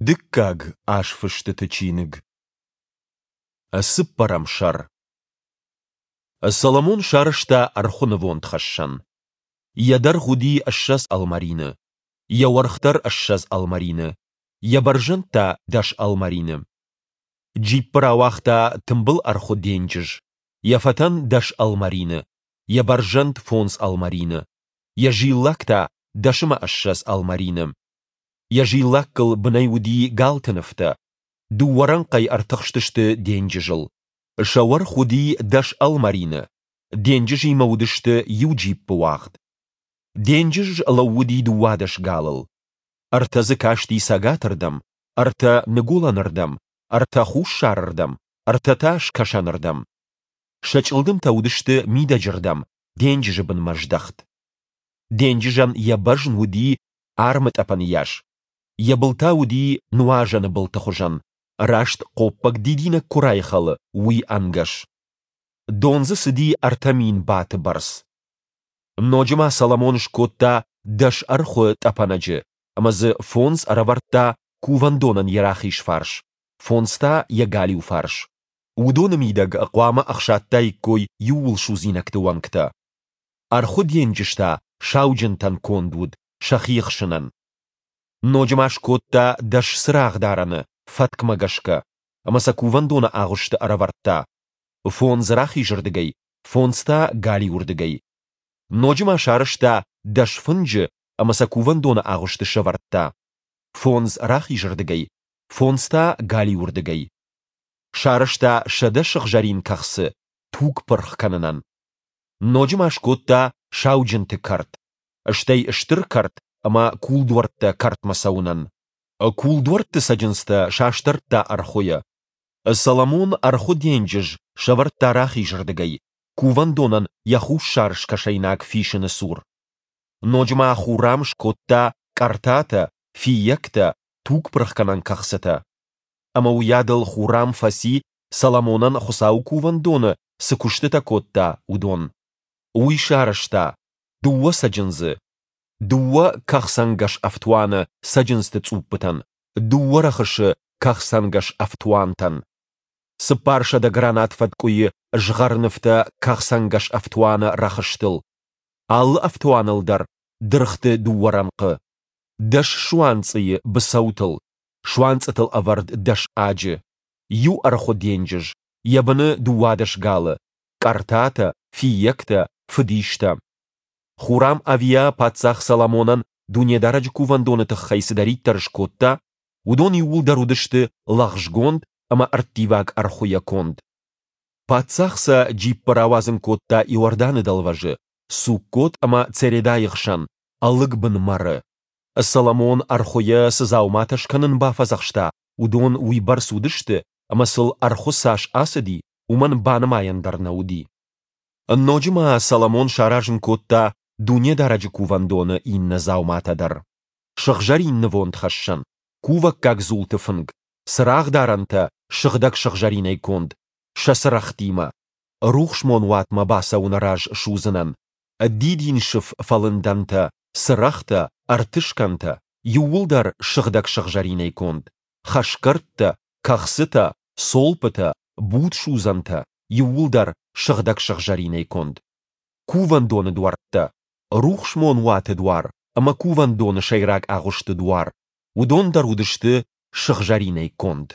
Дыккаг азфыстыты чиныг. Цыппӕрӕм сӕр. Соломон сарӕзта ӕрхуы нывондхӕссӕн. Йӕ дӕргъ уыди 20 ӕлмӕрины, йӕ уӕрх дӕр 20 ӕлмӕрины, йӕ бӕрзӕнд та дӕс ӕлмӕрины. Джиппы рауагъта тымбыл ӕрхуы денджыз, йӕ фӕтӕн дӕс ӕлмӕрины, йӕ бӕрзӕнд фондз ӕлмӕрины, йӕ зиллакк та дӕс ӕмӕ 20 ӕлмӕрины. Йӕ зиллаккыл бынӕй уыди галты нывтӕ. Дыууӕ рӕнхъӕй ӕртыхстысты денджызыл. Сӕ уӕрх уыди дӕс ӕлмӕрины, денджызимӕ уыдысты иу джиппы уагъд. Денджыз лӕууыди 12 галыл. Ӕртӕ дзы касти цӕгатырдӕм, ӕртӕ ныгуылӕнырдӕм, ӕртӕ хуссарырдӕм, ӕртӕ та скӕсӕнырдӕм. Сӕ чъылдымтӕ уыдысты мидӕджырдӕм, денджызы бынмӕ здӕхт. Денджызӕн йӕ бӕзн уыди армытъӕпӕны йас. Йӕ был та уыди нуазӕны былты хуызӕн, раст хъоппӕг дидинӕг куы райхӕлы, уый ӕнгӕс. Дон дзы цыди 3000 баты бӕрц. Ноджы ма Соломон скодта дӕс ӕрхуы тъӕпӕнӕджы ӕмӕ дзы фондз ӕрӕвӕрдта кувӕндонӕн йӕ рахиз фарс, фондз та йӕ галиу фарс. Уыдоны мидӕг хъуамӕ ӕхсадтаиккой иууылсудзинӕгты уӕнгтӕ. Ӕрхуы денджыз та сауджынтӕн конд уыд сӕхи ӕхсынӕн. Ноджы ма скодта дӕс цырагъдарӕны фӕткмӕ гӕсгӕ, ӕмӕ сӕ кувӕндоны агъуысты ӕрӕвӕрдта, фондз рахизырдыгӕй, фондз та галиуырдыгӕй. Ноджы ма сарӕзта дӕс фынджы ӕмӕ сӕ кувӕндоны агъуысты сӕвӕрдта, фондз рахизырдыгӕй, фондз та галиуырдыгӕй. Сарӕзта 100 сыгъзӕрин кӕхцы туг пырх кӕнынӕн. Ноджы ма скодта сауджынты кӕрт, стӕй стыр кӕрт ӕмӕ кулдуӕрттӕ кӕртмӕ цӕуынӕн. Кулдуӕртты цӕджындзтӕ састӕрдта ӕрхуыйӕ. Соломон ӕрхуы денджыз сӕвӕрдта рахизырдыгӕй, кувӕндонӕн йӕ хуссар-скӕсӕйнаг фисыны цур. Ноджы ма Хурам скодта къӕртатӕ, фиййӕгтӕ, тугпырхгӕнӕн кӕхцытӕ. Ӕмӕ уыйадыл Хурам фӕци, Соломонӕн Хуыцауы кувӕндоны цы куыстытӕ кодта, уыдон. Уый сарӕзта дыууӕ цӕджындзы, дыууӕ кӕхцӕнгӕс ӕфтуаны цӕджындзты цъуппытӕн, дыууӕ рӕхысы кӕхцӕнгӕс ӕфтуантӕн, 400 гранат фӕткъуыйы згъӕрнывтӕ кӕхцӕнгӕс ӕфтуаны рӕхыстыл, алы ӕфтуаныл дӕр дыргъты дыууӕ рӕнхъы, дӕс суанцъыйы быцӕутыл, суанцъытыл ӕвӕрд дӕс аджы, иу ӕрхуы денджыз, йӕ быны 12 галы, къӕртатӕ, фиййӕгтӕ, фыдистӕ. Хурам Авиа паддзах Соломонӕн Дунедарӕджы кувӕндоны тыххӕй цыдӕриддӕр скодта, уыдон иууылдӕр уыдысты лӕгъзгонд ӕмӕ ӕрттиваг ӕрхуыйӕ конд. Паддзах сӕ джиппы рауадзын кодта Иорданы дӕлвӕзы, Суккот ӕмӕ Цередайы хсӕн, ӕлыгбын мӕры. Соломон ӕрхуыйӕ цы дзауматӕ скӕнын бафӕдзӕхста, уыдон уыйбӕрц уыдысты, ӕмӕ сыл ӕрхуы цас ацыди, уымӕн банымайӕн дӕр нӕ уыди. Ноджы ма Соломон саразын кодта Дунедарӕджы кувӕндоны иннӕ дзауматӕ дӕр: сыгъзӕрин нывондхӕссӕн, кувӕггаг дзулты фынг, цырагъдарӕнтӕ сыгъдӕг сыгъзӕринӕй конд, сӕ цырӕгътимӕ, рухсмон уатмӕ бацӕуыны раз судзынӕн, дидинсыф фӕлындӕнтӕ, цырӕгътӕ, ӕртыскӕнтӕ, иууылдӕр сыгъдӕг сыгъзӕринӕй конд, хӕсгӕрдтӕ, кӕхцытӕ, цолпытӕ, будсудзӕнтӕ, иууылдӕр сыгъдӕг сыгъзӕринӕй конд. Кувӕндоны дуӕрттӕ, рухсмон уаты дуар ӕмӕ кувӕндоны сӕйраг агъуысты дуар, уыдон дӕр уыдысты сыгъзӕринӕй конд.